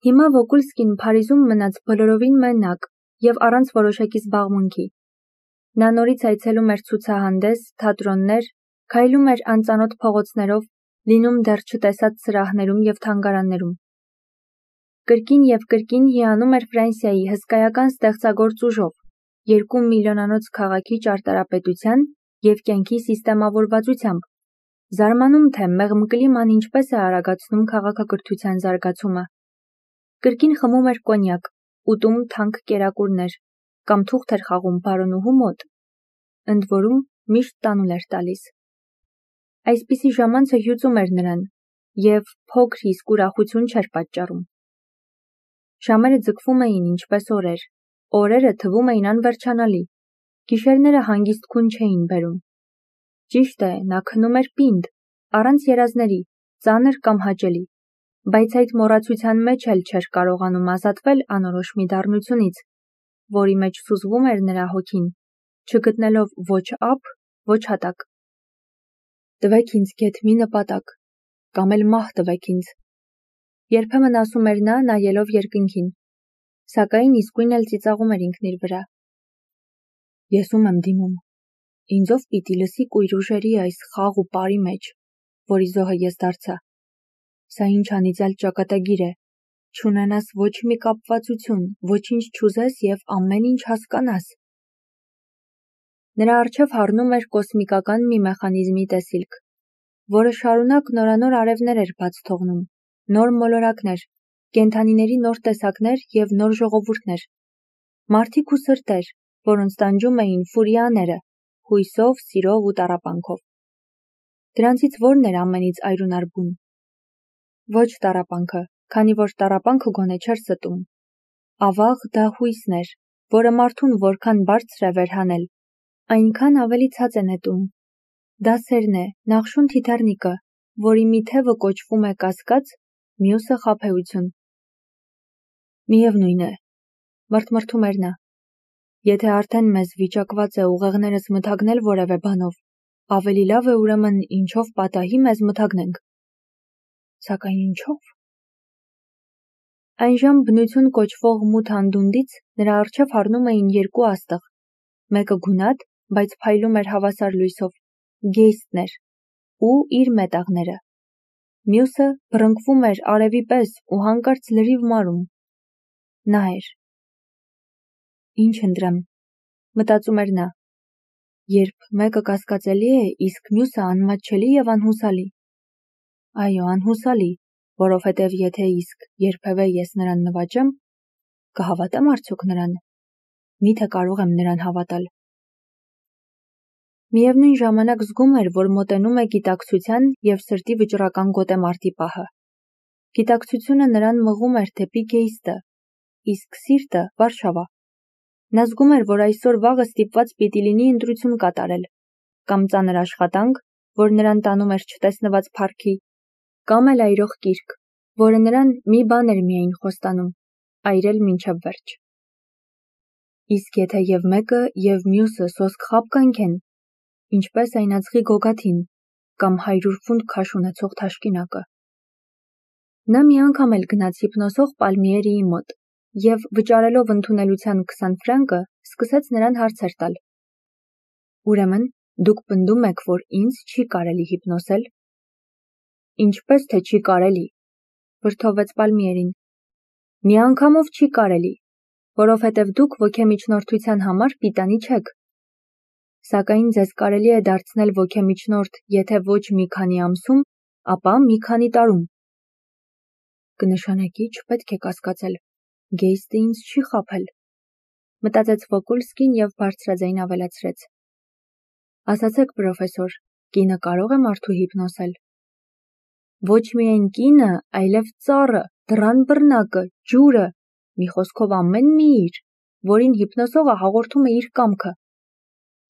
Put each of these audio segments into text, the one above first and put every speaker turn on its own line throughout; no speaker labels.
Հիմա Վոկուլսկին Փարիզում մնաց բոլորովին մենակ և առանց որոշակի զբաղմունքի։ Նա նորից այցելում էր ցուցահանդես, թատրոններ, քայլում էր անծանոթ փողոցներով, լինում դեռ չտեսած սրահներում և թանգարաններում։ Կրկին և կրկին հիանում էր Ֆրանսիայի հսկայական ստեղծագործ ուժով, 2 միլիոնանոց քաղաքի ճարտարապետության և կյանքի սիստեմավորվածությամբ, զարմանում թե մեղմ կլիման ինչպես է արագացնում քաղաքակրթության զարգացումը։ Կրկին խմում էր կոնյակ, ուտում թանկ կերակուրներ, կամ թուղթ էր խաղում բարոնուհու մոտ, ընդ որում միշտ տանուլ էր տալիս։ Այսպիսի ժամանցը հյուծում էր նրան, և փոքր իսկ ուրախություն չէր պատճառում։ Ժամերը ձգվում էին ինչպես օրեր, օրերը թվում էին անվերջանալի, գիշերները հանգիստ քուն չէին բերում։ Ճիշտ է, նա քնում էր պինդ, առանց երազների, ծանր կամ հաճելի, բայց այդ մոռացության մեջ էլ չէր կարողանում ազատվել անորոշ մի դառնությունից, որի մեջ սուզվում էր նրա հոգին, չգտնելով ոչ ափ, ոչ հատակ։ Տվեք ինձ գեթ մի նպատակ, կամ էլ մահ տվեք ինձ, երբեմն ասում էր նա, նայելով երկնքին, սակայն իսկույն էլ ծիծաղում էր ինքն իր վրա։ Ես ում եմ դիմում, ինձով պիտի լսի կույր ուժերի այս խաղ ու պարի մեջ, որի զոհը ես դարձա։ Սա ինչ անիծյալ ճակատագիր է, չունենաս ոչ մի կապվածություն, ոչինչ չուզես և ամեն ինչ հասկանաս։ Նրա առջև հառնում էր կոսմիկական մի մեխանիզմի տեսիլք, որը շարունակ նորանոր արևներ էր բաց թողնում, նոր մոլորակներ, կենդանիների նոր տեսակներ և նոր ժողովուրդներ, մարդիկ ու սրտեր, որոնց տանջում էին ֆուրիաները, հույսով, սիրով ու տառապանքով։ Դրանցից որն էր ամենից այրունարբուն։ Ոչ տառապանքը, քանի որ տառապանքը գոնե չէր ստում։ Ավաղ դա հույսն էր, որը մարդուն որքան բարձր է վերհանել, այնքան ավելի ցած է նետում։ Դա սերն է, նախշուն թիթեռնիկը, որի մի թևը կոչվում է կասկած, մյուսը խաբեություն։ Միևնույն է, մրթմրթում էր նա։ Եթե արդեն մեզ վիճակված է ուղեղներս մթագնել որևէ բանով, ավելի լավ է ուրեմն ինչով պատահի մեզ մթագնենք։ Սակայն ինչով։ Այնժամ բնություն կոչվող մութ անդունդից նրա առջև հառնում էին 2 աստղ, մեկը գունատ, բայց փայլում էր հավասար լույսով, գեյստն էր, ու իր մետաղները։ Մյուսը բռնկվում էր արևի պես ու հանկարծ լրիվ մարում։ Նա էր։ Ինչ ընտրեմ, մտածում էր նա, երբ մեկը կասկածելի է, իսկ մյուսը անմատչելի և անհուսալի։ Այո, անհուսալի, որովհետև եթե իսկ երբևէ ես նրան նվաճեմ, կհավատեմ արդյոք նրան։ Միթե կարող եմ նրան հավատալ։ Միևնույն ժամանակ զգում էր, որ մոտենում է գիտակցության և սրտի վճռական գոտեմարտի պահը։ Գիտակցությունը նրան մղում էր դեպի գեյստը, իսկ սիրտը՝ Վարշավա։ Նա զգում էր, որ այսօր վաղը ստիպված պիտի լինի ընտրություն կատարել, կամ ծանր աշխատանք, որ նրան տանում էր չտեսնված փառքի, կամ էլ այրող կիրք, որը նրան մի բան էր միայն խոստանում՝ այրել մինչև վերջ։ Իսկ եթե և մեկը, և մյուսը սոսկ խաբ կանքեն, ինչպես այնածղի գոգաթին, կամ 100 ֆունտ քաշ ունեցող թաշկինակը։ Նա մի անգամ էլ գնաց հիպնոսող Պալմիերիի մոտ և, վճարելով ընդունելության 20 ֆրանկը, սկսեց նրան հարցեր տալ։ Ուրեմն, դուք պնդում եք, որ ինձ չի կարելի հիպնոսել։ Ինչպես թե չի կարելի, վրդովվեց Պալմիերին։ Մի անգամով չի կարելի, որովհետև դուք ոգեմիջնորդության համար պիտանի չեք։ Սակայն ձեզ կարելի է դարձնել ոգեմիջնորդ, եթե ոչ մի քանի ամսում, ապա մի քանի տարում։ Կնշանակի չպետք է կասկածել, գեյստը ինձ չի խաբել, մտածեց Վոկուլսկին և բարձրաձայն ավելացրեց. Ասացեք, պրոֆեսոր, կինը կարող է մարդու հիպնոսել։ Ոչ միայն կինը, այլև ծառը, դռան բռնակը, ջուրը, մի խոսքով ամեն մի իր, որին հիպնոսողը հաղորդում է իր կամքը։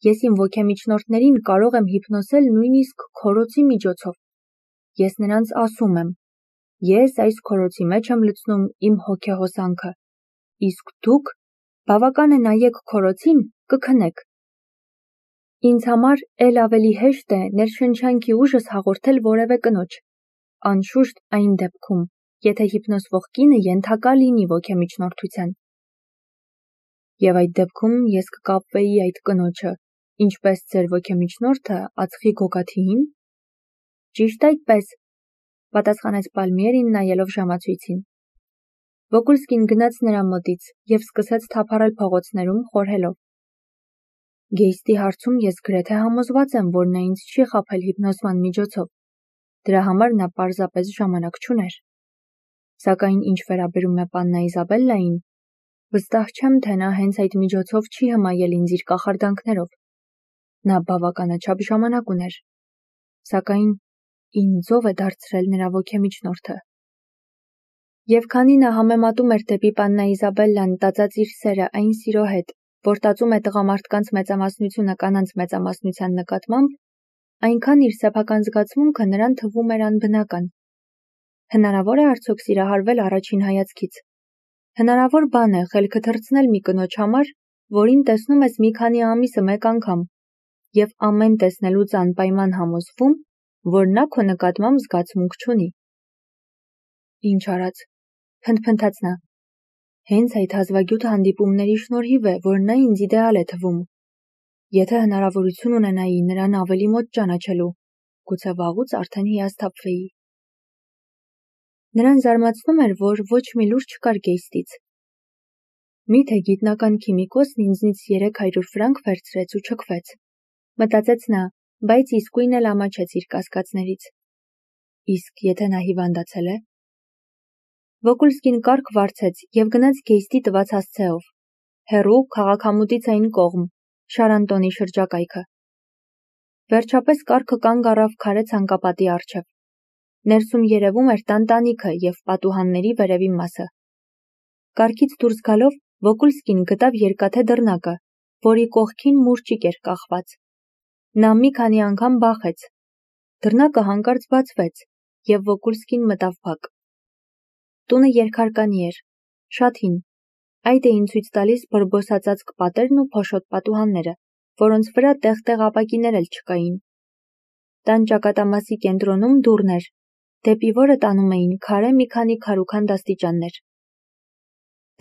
Ես իմ ոգեմիջնորդներին կարող եմ հիպնոսել նույնիսկ քորոցի միջոցով։ Ես նրանց ասում եմ. ես այս քորոցի մեջ եմ լցնում իմ հոգեհոսանքը, իսկ դուք բավական է նայեք քորոցին, կքնեք։ Ինձ համար էլ ավելի հեշտ է ներշնչանքի ուժս հաղորդել որևէ կնոջ, անշուշտ այն դեպքում, եթե հիպնոսվող կինը ենթակա լինի ոգեմիջնորդության։ Եվ այդ դեպքում ես կկապվեի այդ կնոջը, ինչպես ձեր ոգեմիջնորդը ածխի գոգաթիին։ Ճիշտ այդպես, պատասխանեց Պալմիերին նայելով ժամացույցին։ Վոկուլսկին գնաց նրա մոտից և սկսեց թափառել փողոցներում խորհելով. Գեյստի հարցում ես գրեթե համոզված եմ, որ նա ինձ չի խաբել հիպնոսման միջոցով, դրա համար նա պարզապես ժամանակ չուներ։ Սակայն ինչ վերաբերում է պաննա Իզաբելլային, վստահ չեմ, թե նա հենց այդ միջոցով չի հմայել ինձ իր կախարդանքներով։ Նա բավականաչափ ժամանակ ուներ, սակայն ինձով է դարձրել նրա ոգեմիջնորդը։ Եվ քանի նա համեմատում էր դեպի պաննա Իզաբելլան տածած իր սերը այն սիրո հետ, որ տածում է տղամարդկանց մեծամասնությունը կանանց մեծամասնության նկատմամբ, այնքան իր սեփական զգացմունքը նրան թվում էր անբնական։ Հնարավոր է արդյոք սիրահարվել առաջին հայացքից։ Հնարավոր բան է խելքը թռցնել մի կնոջ համար, որին տեսնում ես մի քանի ամիսը մեկ անգամ, և ամեն տեսնելուց անպայման համոզվում, որ նա քո նկատմամբ զգացմունք չունի։ Ինչ արած, փնթփնթաց նա։ Հենց այդ հազվագյուտ հանդիպումների շնորհիվ է, որ նա ինձ իդեալ է թվում։ Եթե հնարավորություն ունենայի նրան ավելի մոտ ճանաչելու, գուցե վաղուց արդեն հիասթափվեի։ Նրան զարմացնում էր, որ ոչ մի լուր չկար Գեյստից։ Միթե գիտնական քիմիկոսն ինձնից 300 ֆրանկ վերցրեց ու չքվեց, մտածեց նա, բայց իսկույն էլ ամաչեց իր կասկածներից։ Իսկ եթե նա հիվանդացել է։ Վոկուլսկին կառք վարձեց և գնաց Գեյստի տված հասցեով, հեռու քաղաքամուտից այն կողմ, Շարանտոնի շրջակայքը։ Վերջապես կառքը կանգ առավ քարե ցանկապատի առջև։ Ներսում երևում էր տանտանիքը և պատուհանների վերևի մասը։ Կառքից դուրս գալով Վոկուլսկին գտավ երկաթե դռնակը, որի կողքին մուրճիկ էր կախված։ Նա մի քանի անգամ բախեց։ Դռնակը հանկարծ բացվեց, և Վոկուլսկին մտավ բակ։ Տունը երկհարկանի էր, շատ հին։ Այդ էին ցույց տալիս բրբոսածածկ պատերն ու փոշոտ պատուհանները, որոնց վրա տեղ-տեղ ապակիներ էլ չկային։ Տան ճակատամասի կենտրոնում դուռն էր, դեպի որը տանում էին քարե մի քանի քարուքանդ աստիճաններ։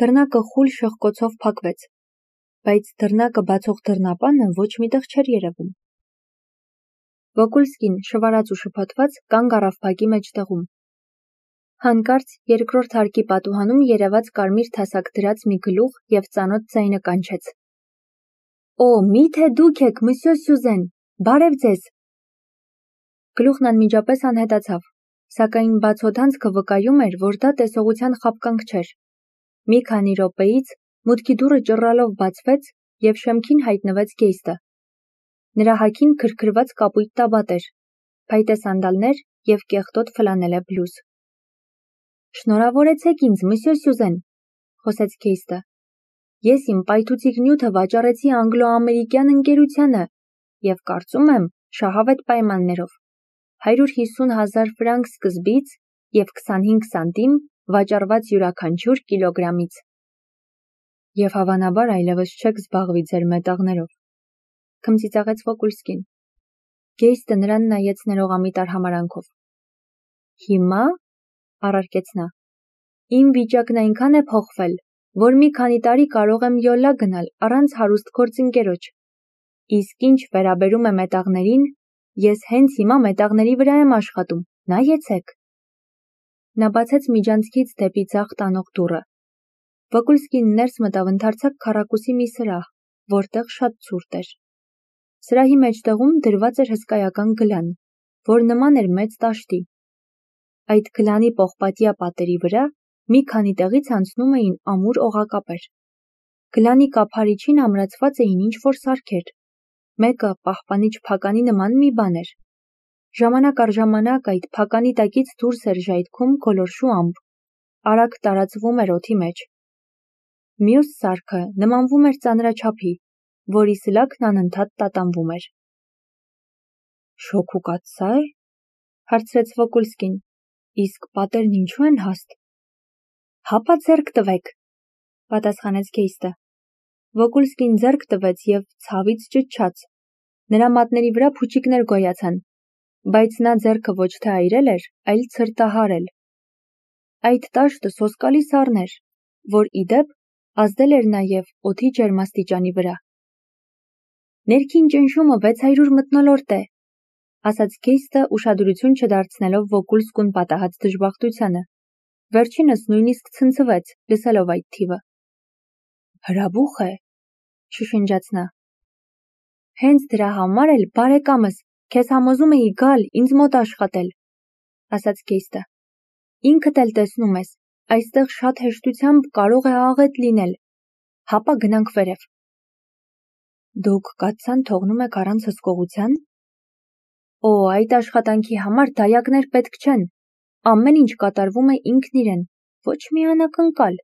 Դռնակը խուլ շողկոցով փակվեց, բայց դռնակը բացող դռնապանը ոչ միտեղ չէր երևում։ Վոկուլսկին, շվարած ու շփոթված, կանգ առավ բակի մեջտեղում։ Հանկարծ երկրորդ հարկի պատուհանում երևաց կարմիր թասակ դրած մի գլուխ և ծանոթ ձայնը կանչեց. Օ, միթե դուք եք, մսյո Սյուզեն, բարև ձեզ։ Գլուխն անմիջապես անհետացավ, սակայն բացօդանցքը վկայում էր, որ դա տեսողության խաբկանք չէր։ Մի քանի րոպեից մուտքի դուռը ճռռալով բացվեց և շեմքին հայտնվեց Գեյստը։ Նրա հագին քրքրված կապույտ տաբատ էր, փայտե սանդալներ և կեղտոտ ֆլանելե բլուզ։ Շնորհավորեցեք ինձ, մսյո Սյուզեն, խոսեց Գեյստը։ Ես իմ պայթուցիկ նյութը վաճառեցի անգլո-ամերիկյան ընկերությանը և կարծում եմ շահավետ պայմաններով, 150,000 ֆրանկ սկզբից և 25 սանտիմ վաճառված յուրաքանչյուր կիլոգրամից։ Եվ հավանաբար այլևս չեք զբաղվի ձեր մետաղներով, քմծիծաղեց Վոկուլսկին։ Գեյստը նրան նայեց ներողամիտ արհամարհանքով։ Հիմա, առարկեց նա, իմ վիճակն այնքան է փոխվել, որ մի քանի տարի կարող եմ յոլա գնալ առանց հարուստ գործընկերոջ։ Իսկ ինչ վերաբերում է մետաղներին, ես հենց հիմա մետաղների վրա եմ աշխատում, նայեցեք։ Նա բացեց միջանցքից դեպի ձախ տանող դուռը։ Վոկուլսկին ներս մտավ ընդարձակ քառակուսի մի սրահ, որտեղ շատ ցուրտ էր։ Սրահի մեջտեղում դրված էր հսկայական գլան, որ նման էր մեծ տաշտի։ Այդ գլանի պողպատյա պատերի վրա մի քանի տեղից անցնում էին ամուր օղակապեր։ Գլանի կափարիչին ամրացված էին ինչ-որ սարքեր։ Մեկը պահպանիչ փականի նման մի բան էր։ Ժամանակ առ ժամանակ այդ փականի տակից դուրս էր ժայթքում գոլորշու ամպ, արագ տարածվում էր օդի մեջ։ Մյուս սարքը նմանվում էր ծանրաչափի, որի սլաքն անընդհատ տատանվում էր։ Շոգ ու կաթսա է, հարցրեց Վոկուլսկին, իսկ պատերն ինչու են հաստ։ Հապա ձեռք տվեք, պատասխանեց Գեյստը։ Վոկուլսկին ձեռք տվեց և ցավից ճչաց։ Նրա մատների վրա փուչիկներ գոյացան, բայց նա ձեռքը ոչ թե այրել էր, այլ ցրտահարել։ Այդ տաշտը սոսկալի սառն էր, որ ի դեպ ազդել էր նաև օդի ջերմաստիճանի վրա։ Ներքին ճնշումը 600 մթնոլորտ է, ասաց Գեյստը ուշադրություն չդարձնելով Վոկուլսկուն պատահած դժբախտությանը։ Վերջինս նույնիսկ ցնցվեց, լսելով այդ թիվը։ Հրաբուխ է, շշնջաց նա։ Հենց դրա համար էլ, բարեկամս, քեզ համոզում էի գալ ինձ մոտ աշխատել, ասաց Գեյստը։ Ինքդ էլ տեսնում ես, այստեղ շատ հեշտությամբ կարող է աղետ լինել։ Հապա գնանք վերև։ Դուք կաթսան թողնում եք առանց հսկողության։ Օ, այդ աշխատանքի համար դայակներ պետք չեն։ Ամեն ինչ կատարվում է ինքն իրեն, ոչ մի անակնկալ։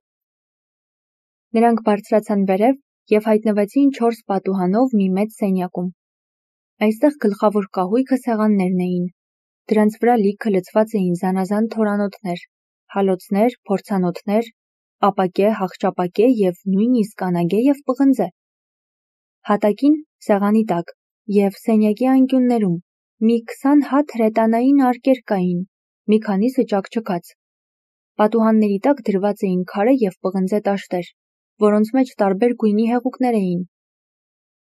Նրանք բարձրացան վերև և հայտնվեցին 4 պատուհանով մի մեծ սենյակում։ Այստեղ գլխավոր կահույքը սեղաններն էին։ Դրանց վրա լիքը լցված էին զանազան թորանոթներ, հալոցներ, փորձանոթներ, ապակե, հախճապակե և նույնիսկ անագե և պղնձե։ Հատակին, սեղանի տակ և սենյակի անկյուններում մի 20 հատ հրետանային արկեր կային, մի քանիսը ճաքճքած։ Պատուհանների տակ դրված էին քարե և պղնձե տաշտեր, որոնց մեջ տարբեր գույնի հեղուկներ էին։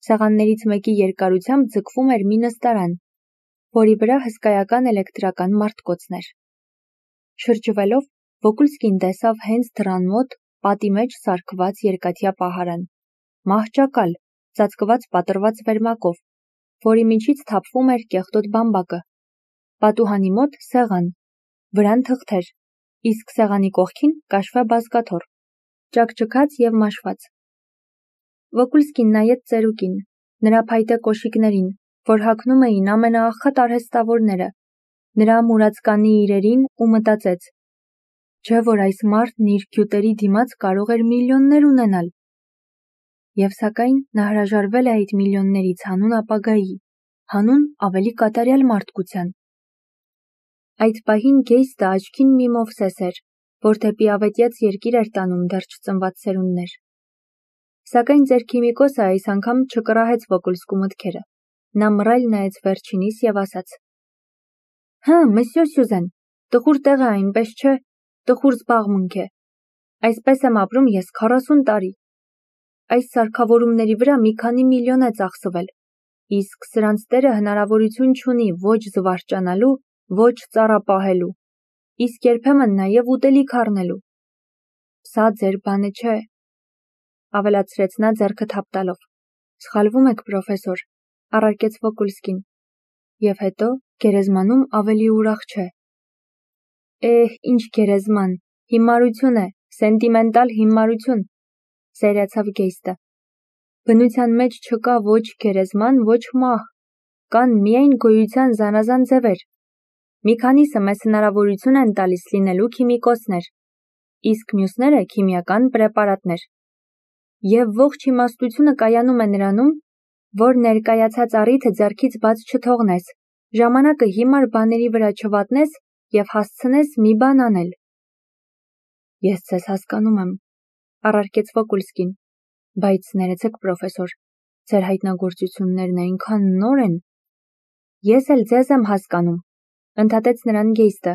Սեղաններից մեկի երկարությամբ ձգվում էր մի նստարան, որի վրա հսկայական էլեկտրական մարտկոցն էր։ Շրջվելով, Վոկուլսկին տեսավ հենց դռան մոտ պատի մեջ սարքված երկաթյա պահարան, մահճակալ, ծածկված պատռված վերմակով, որի միջից թափվում էր կեղտոտ բամբակը։ Պատուհանի մոտ սեղան, վրան թղթեր, իսկ սեղանի կողքին կաշվե բազկաթոռ, ճաքճքած և մաշված։ Վոկուլսկին նայեց ծերուկին, նրա փայտե կոշիկներին, որ հագնում էին ամենաաղքատ արհեստավորները, նրա մուրացկանի իրերին ու մտածեց. չէ՞ որ այս մարդն իր գյուտերի դիմաց կարող էր միլիոններ ունենալ։ Եվ սակայն նա հրաժարվել է այդ միլիոններից հանուն ապագայի, հանուն ավելի կատարյալ մարդկության։ Այդ պահին Գեյստը աչքին մի մովսես էր, որ դեպի ավետյաց երկիր էր տանում դեռ չծնված սերունդներ։ Սակայն ծեր-քիմիկոսը այս անգամ չկռահեց Վոկուլսկու մտքերը։ Նա մռայլ նայեց վերջինիս և ասաց. Հը, մսյո Սյուզեն, տխուր տեղ է այնպես չէ, տխուր զբաղմունք է։ Այսպես եմ ապրում ես 40 տարի։ Այս սարքավորումների վրա մի քանի միլիոն է ծախսվել, իսկ սրանց տերը հնարավորություն չունի ոչ զվարճանալու, ոչ ծառա պահելու, իսկ երբեմն նաև ուտելիք առնելու։ Սա ձեր բանը չէ, ավելացրեց նա ձեռքը թափ տալով։ Սխալվում եք, պրոֆեսոր, առարկեց Վոկուլսկին։ Եվ հետո գերեզմանում ավելի ուրախ չէ։ Ինչ գերեզման, հիմարություն է, սենտիմենտալ հիմարություն, սերիացավ Գեյստը։ Բնության մեջ չկա ոչ գերեզման, ոչ մահ, կան միայն գոյության զանազան ձևեր։ Մի քանիսը մեզ հնարավորություն են տալիս լինելու քիմիկոսներ, իսկ մյուսները քիմիական պրեպարատներ։ Եվ ողջ իմաստությունը կայանում է նրանում, որ ներկայացած առիթը ձեռքից բաց չթողնես, ժամանակը հիմար բաների վրա չվատնես և հասցնես մի բան անել։ Ես ձեզ հասկանում եմ, առարկեց Վոկուլսկին, բայց ներեցեք, պրոֆեսոր, ձեր հայտնագործություններն այնքան նոր են։ Ես էլ ձեզ եմ հասկանում, ընդհատեց նրան Գեյստը։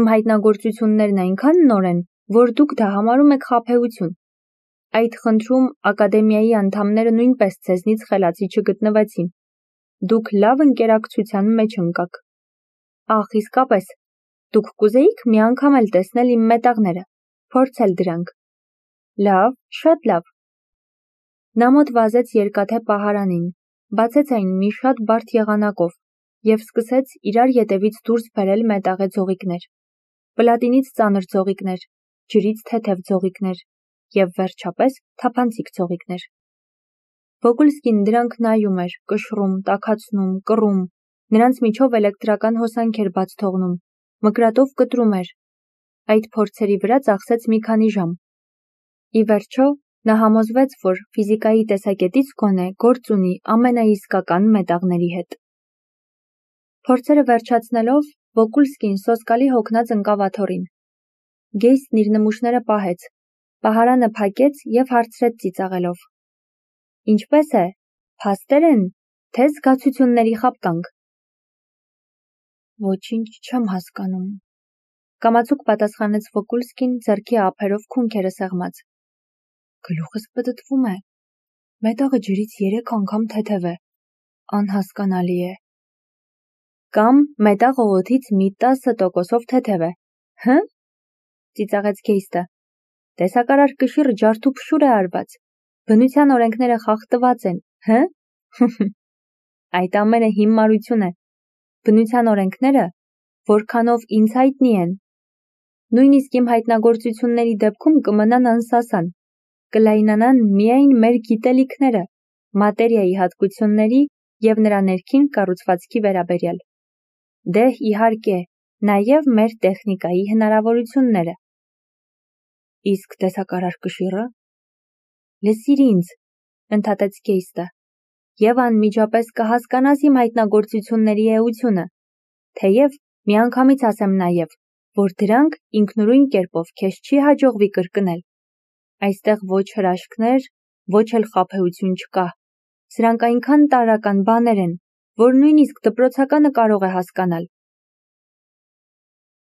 Իմ հայտնագործություններն այնքան նոր են, որ դուք դա համարում եք խաբեություն։ Այդ խնդրում ակադեմիայի անդամները նույնպես ձեզնից խելացի չգտնվեցին։ Դուք լավ ընկերակցության մեջ ընկաք։ Ախ, իսկապես, դուք կուզեիք մի անգամ էլ տեսնել իմ մետաղները, փորձել դրանք։ Լավ, շատ լավ։ Նա մոտ վազեց երկաթե պահարանին, բացեց այն մի շատ բարդ եղանակով և սկսեց իրար ետևից դուրս բերել մետաղե ձողիկներ, պլատինից ծանր ձողիկներ, ջրից թեթև ձողիկներ և վերջապես թափանցիկ ձողիկներ։ Վոկուլսկին դրանք նայում էր, կշռում, տաքացնում, կռում, նրանց միջով էլեկտրական հոսանք էր բաց թողնում, մկրատով կտրում էր։ Այդ փորձերի վրա ծախսեց մի քանի ժամ։ Ի վերջո, նա համոզվեց, որ ֆիզիկայի տեսակետից գոնե գործ ունի ամենաիսկական մետաղների հետ։ Փորձերը վերջացնելով, Վոկուլսկին սոսկալի հոգնած ընկավ աթոռին։ Գեյստն իր նմուշները պահեց, պահարանը փակեց և հարցրեց ծիծաղելով. Ինչպե՞ս է, փաստեր են, թե զգացությունների խաբկանք։ Ոչինչ չեմ հասկանում, Կամացուկ պատասխանեց Վոկուլսկին ձեռքի ափերով քունքերը սեղմած։ Գլուխս պտտվում է։ Մետաղը ջրից 3 անգամ թեթև է։ Անհասկանալի է։ Կամ մետաղը օդից մի 10% թեթև է։ Հը՞։ Ծիծաղեց Գեյստը։ Տեսակարար կշիռը ջարդուփշուր է արված։ Բնության օրենքները խախտված են, հը՞։ Այդ ամենը հիմարություն է։ Բնության օրենքները, որքանով ինձ հայտնի են, նույնիսկ իմ հայտնագործությունների դեպքում կմնան անսասան, կլայնանան միայն մեր գիտելիքները, մատերիայի հատկությունների և նրա ներքին կառուցվածքի վերաբերյալ։ Դե իհարկե, նաև մեր տեխնիկայի հնարավորությունները։ Իսկ տեսակարար կշիռը։ Լսիր ինձ, ընդհատեց Գեյստը, և անմիջապես կհասկանաս իմ հայտնագործությունների էությունը, թեև միանգամից ասեմ նաև, որ դրանք ինքնուրույն կերպով քեզ չի հաջողվի կրկնել։ Այստեղ ոչ հրաշքներ, ոչ էլ խաբեություն չկա։ Սրանք այնքան տարրական բաներ են, որ նույնիսկ դպրոցականը կարող է հասկանալ։